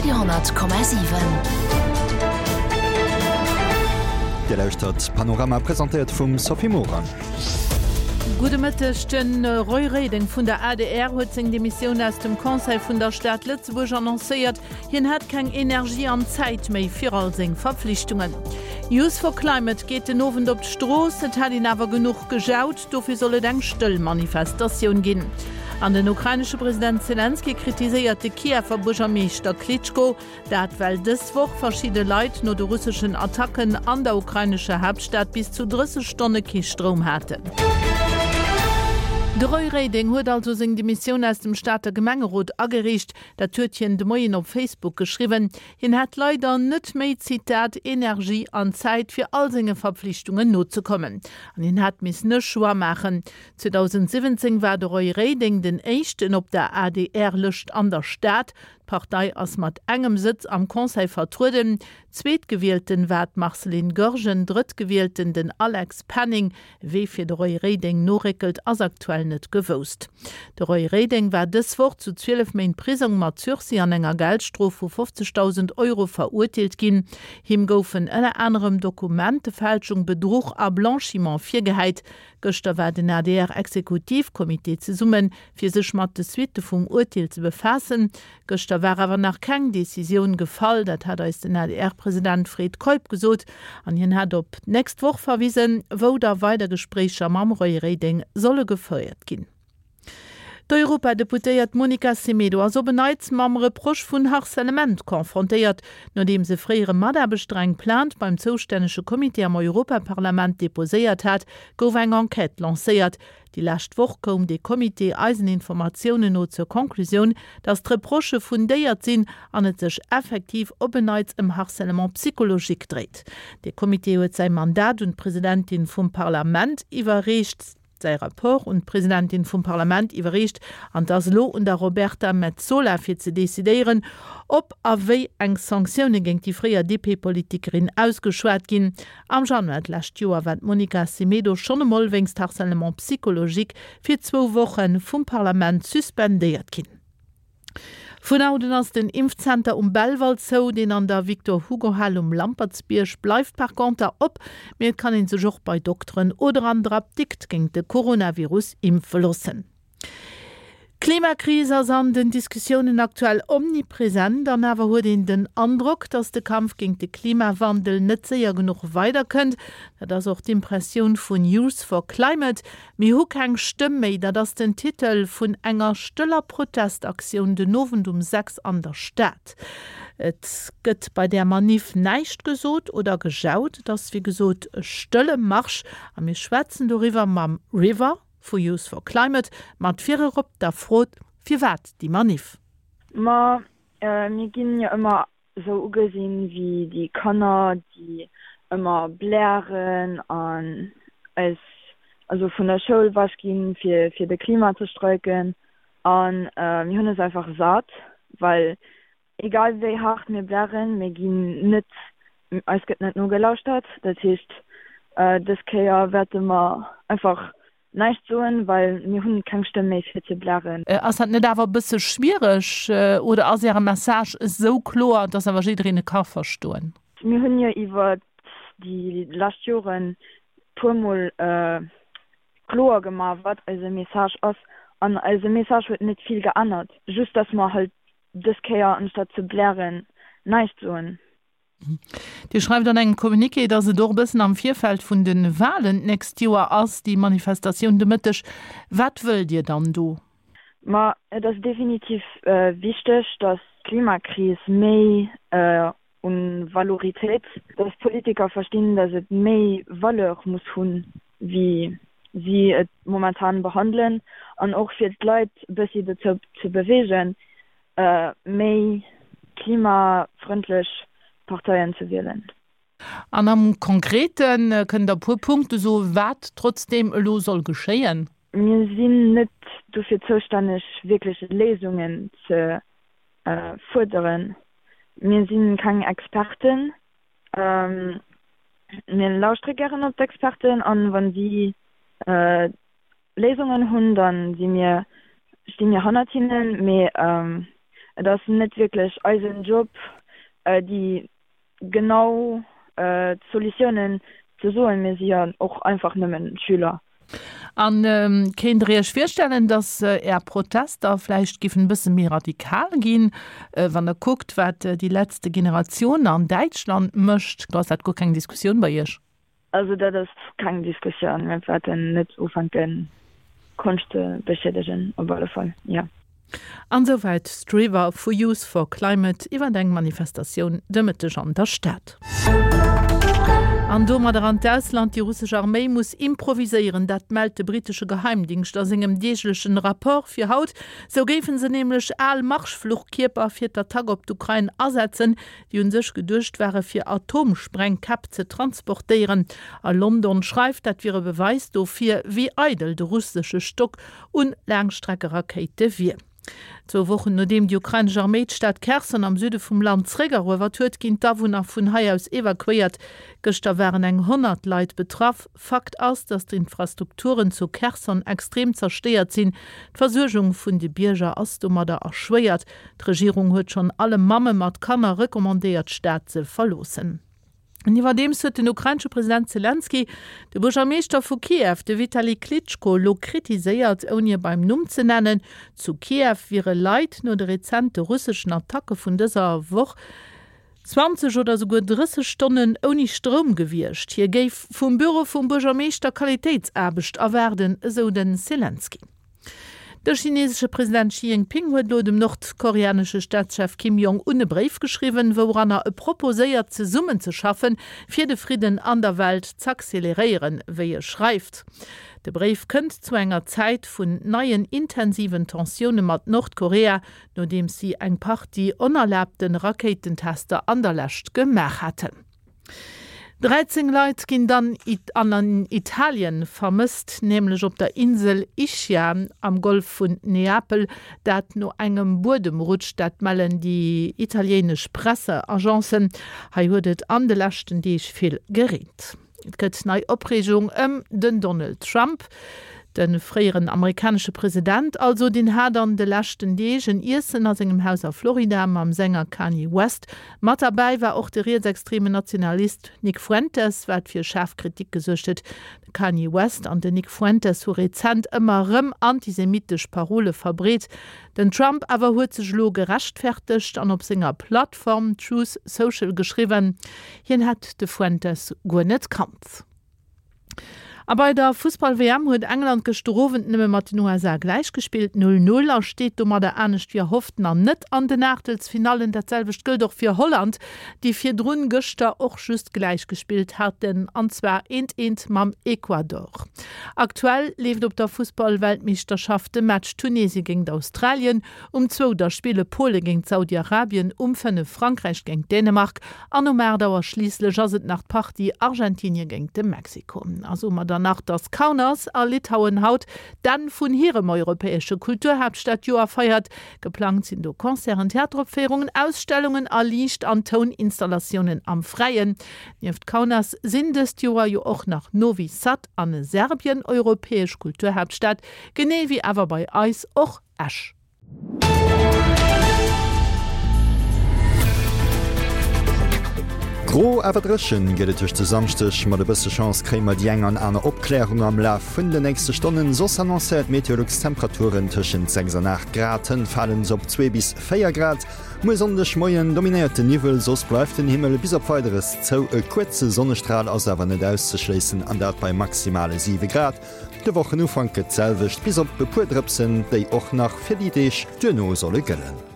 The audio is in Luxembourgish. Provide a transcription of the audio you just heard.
Radio,7. Dir lauschtert Panorama, presentéiert vum Sophie Morang. Gudde Mëtteg. De Roy Reding vun der adr huet seng Demissioun aus dem Conseil vun der Stad Lëtzebuerg annoncéiert. Hien hätt keng Energie an Zäit méi fir all seng Verpflichtungen. Youth for Climate geet den Owend op d'Strooss. Et hätt een awer genuch gejaut, dofir soll et eng stëll Manifestatioun ginn. An den ukrainesche President Selenskyj kritiséiert de Kiewer Buergermeeschter Klitschko. Dat well dës Woch verschidde Leit no de russeschen Attacken an der ukrainescher Haaptstad bis zu 30 Stonne kee Stroum haten. De Roy Reding huet also seng Demissioun aus dem Stater Gemengerot agereecht. Dat huet hien de Moien op Facebook geschriwwen. Hien hätt leider net méi, Zitat, Energie an Zäit fir all senge Verpflichtungen nozekommen. An hien hätt missen e Choix maachen. 2017 war de Roy Reding den éischten op der ADR-Lëscht an der Stad. D'Partei ass mat engem Sëtz am Conseil vertrueden. Zweetgewielten war d'Marceline Goergen, Drëttgewielten den Alex Penning. Wee fir de Roy Reding noréckelt, ass aktuell net gewousst. De Roy Reding war dës Woch zu 12 Méint Prisong mat Sursis an enger Geldstrof vu 50.000 Euro verurteelt ginn. Him goufen ënner anerem Dokumentefälschung, Bedruch a Blanchiment virgehäit. Gëschter war den ADR-Exekutivcomité zesummen, fir sech mat de Suitte vum Urteel ze befaassen. Gëschter war awer nach keng Decisioun gefall, dat hat eis den ADR-President Fred Keup gesot. An hien hat op d'nächst Woch verwisen, wou da weider Gespréicher mam Roy Reding solle gefouert ginn. D'Europadeputéiert Monica Semedo ass op en Neits mam Reproche vun Harcèlement confrontéiert, nodeems e fréiere Mataarbechter eng Plainte beim zoustännege Comité am Europaparlament deposéiert hat, gouf eng Enquête lancéiert. Déi lescht Woch koum dee Comité eisen Informatiounen no zur Conclusioun, datt d'Reprochë fundéiert sinn an et sech effektiv op en Neits ëm Harcèlement psychologique dréit. Dee Comité huet säi Mandat un d'Presidentin vum Parlament iwwerreecht. Säi Rapport un d'Presidentin vum Parlament iwwerreecht an et ass elo un der Roberta Metsola fir ze decidéieren, ob a wéi eng Sanktioune géint déi fréier DP-Politikerin ausgeschwat ginn. Am Januar d'lescht Joer war d'Monica Semedo schonn emol wéinst Harcèlement psychologique fir zwou Woche vum Parlament suspendéiert ginn. Vun haut un ass den Impfzenter um Belval zou. Deen an der Victor-Hugo-Hal um Lampertsbierg bleift par conter op, mee et kann ee sech och bei Dokteren oder an der Apdikt géint de Coronavirus impfe loossen. D'Klimakris ass an den Diskussiounen aktuell omnipresent an awer huet een den Androck, datt de Kampf géint de Klimawandel net séier genuch weiderkënnt. Dat ass och d'Impressioun vun Youth for Climate. Mir hu keng Stëmm méi, dat ass den Titel vun enger stëller Protestaktioun den Owend um 6 an der Stad. Et gëtt bei där Maniff näischt gesot oder gejaut. Et ass wéi gesot e stëlle Marsch a mir schwätzen doriwwer mam River. Vu Youth for Climate mat virerop der Fro, Firwat déi Maniff? Ma mir ginn jo ëmmer esou ugesinn wéi déi Kanner, déi ëmmer blären an eis also vun der Schoul ewech ginn, fir fir de Klima ze streiken. An mir hunn es einfach sat, well Egal wéi haart mir blären, mir ginn net, eis gëtt net nogelauschtert. Dat heescht, dës Kéier wäerte mer einfach näischt soen, well mir hunn keng Stëmm méi fir ze blären. Ass dat net awer e bësse schwiereg oder ass Äre Message esou kloer, dass awer jiddereen e ka verstoen? Mir hunn jo iwwer déi lescht Joren puermol kloer gemaach, wat eise Message ass. An eise Message huet net vill geännert, just dass mer halt dës Kéier anstatt ze blären näischt soen. Dir schreift an engem Communiqué, datt et och e bëssen am Virfeld vun de Walen d'nächst Joer ass, déi Manifestatioun de Mëtteg. Wat wëllt Dir dann do? Ma et ass definitiv wichteg, datt d'Klimakris méi un Valoritéit, datt d'Politiker verstinn, datt et méi Valeur muss hunn, wéi si et momentan behandelen, an och fir d'Leit e bëssi dozou ze beweegen, méi klimafrëndlech Parteien ze wielen. An am Konkrete, kënnt Der e puer Punkte soen, wat trotzdeem elo soll geschéien? Mir sinn net dofir zoustänneg, wierklech Léisungen ze fuerderen. Mir si keng Experten. Mir lauschtere gären op d'Experten an wa si Léisungen hunn, da si mir, sti mir hannert hinnen. Mee. Et ass net wierklech eisen Job, déi genau d'Solutiounen ze soen. Mir si jo och einfach nëmmen Schüler. A kéint Der Iech virstellen, datt Är Protester vläicht giffen e bësse méi radikal ginn, wann Der kuckt, wat déi letzte Generatioun an Däitschland mécht? Do ass dat guer keng Diskussioun bei Iech? Also dat ass keng Diskussioun. Mir wäerten net ufänken, Konscht ze beschiedegen, op alle Fall, jo. An souwäit Strever vu Youth for Climate iwwer eng Manifestatioun de Mëtteg an der Stad. An domadder an d'Ausland, Déi russesch Arméi muss improviséieren, dat mellt de brittesche Geheimdingscht a sengem deeglechen Rapport fir haut. Sou géife se nämlech al Marschfluchkierper fir d'Attack op d'Ukrain asetzen, déi un sech geduecht ware fir Atomsprengkäpp ze transportéieren. A London schreift, dat wier e Beweis dofir, wéi eidel de russesche Stock un Laangstreckerakéite wier. Zwou Wochen nodeem déi ukrainesch Arméi d'Stad Kherson am Süde vum Land zeréckeruewert huet, ginn d'Awunner vun hei aus evakuéiert. Gëschter waren eng 100 Leit betraff. Fakt ass, datt d'Infrastrukturen zu Kherson extrem zerstéiert sinn. D'Versuergung vun de Bierger ass domadder erschwéiert. D'Regierung huet schonn alle Mamme mat Kanner recommandéiert, d'Stad ze verloossen. An iwwerdeems huet den ukrainesche President Selenskyj de Buergermeeschter vu Kiew, de Vitali Klitschko, elo kritiséiert, ouni e beim Numm ze nennen. Zu Kiew wiere Leit no de rezente russeschen Attacke vun dëser Woch 20 oder souguer 30 Stonnen ouni Stroum gewiescht. Hie géif vum Büro vum Buergermeeschter Qualitéitsaarbecht erwaarden, esou de Selenskyj. De chinesesche President Xi Jinping huet elo dem nordkoreanesche Staatschef Kim Jong Un e Bréif geschriwwen, wouranner e proposéiert zesummenzeschaffen, fir de Fridden an der Welt z'acceleréieren, wéi e schreift. De Bréif kënnt zu enger Zäit vun neien intensiven Tensioune mat Nordkorea, nodeems si eng Partie onerlaabte Rakéitentester an der Lescht gemaach haten. 13 Leit ginn dann an Italien vermësst, nämlech op der Insel Ischia am Golf vun Neapel, dat no engem Buedemrutsch. Dat mellen déi italiéinesch Presseagencen. Hei huet et an de leschten Deeg vill gereent. Et gëtt nei Opreegung ëm den Donald Trump. De fréieren amerikanesche President also, deen hat an de leschten Deeg en Iessen a sengem Haus a Florida mam Sänger Kanye West. Mat derbäi war och de rietsextremen Nationalist Nick Fuentes, wat fir schaarf Kritik gesuergt huet. De Kanye West an den Nick Fuentes hu rezent ëmmer erëm antisemitesch Parole verbreet. Den Trump awer huet sech elo gerechtfertegt an op senger Plattform Truth Social geschriwwen, hien hätt de Fuentes guer net kannt. A bei der Fussball-WM huet England gëschter Owend nëmme mat den USA gläichgespillt, 0, 0, a steet domadder anescht wéi erhofft nach net an den Aachtelsfinallen. Dat selwecht gëllt och fir Holland, déi virdrun gëschter och just gläichgespillt haten, an zwar eent, eent mam Ecuador. Aktuell leeft op der Fussball-Weltmeeschterschaft de Match Tunesie géingt Australien, um zwou da spille Pole géingt Saudi-Arabien, um 5 Frankräich géingt Dänemark an um 8 Auer schliisslech ass et nach d'Partie Argentinie géingt de Mexiko. A soe mer dann nach, dass Kaunas a Litauen haut d'Enn vun hirem europäesche Kulturhaaptstadjoer feiert. Geplangt sinn do Concerten, Theateropféierungen, Ausstellungen a Liicht an Touninstallatioune am Fräien. Nieft Kaunas sinn dëst Joer jo och nach Novi Sad an Serbien europäesch Kulturhaaptstad, genee wéi awer bei eis och Esch. Gro awer dréchen gëtt et tëscht e Samschdeg. Mat e bësse Chance kréie mer déi eng an aner Opklärung am Laf vun de nächste Stonnen. Soss annoncéiert Meteolux Temperaturen tëschent 6 an 8 Grad, hënt falen se op 2 bis 4 Grad. Muer Sonndeg Moien dominéiert de Niwwel, soss bleift den Himmel bis op Weideres zou. E kuerze Sonnestral ass awer net auszeschléissen, an dat bei maximale 7 Grad. De Wochenufank gëtt d'selwecht, bis op e puer Drëpsen, déi och nach fir déi Deeg duerno solle gëllen.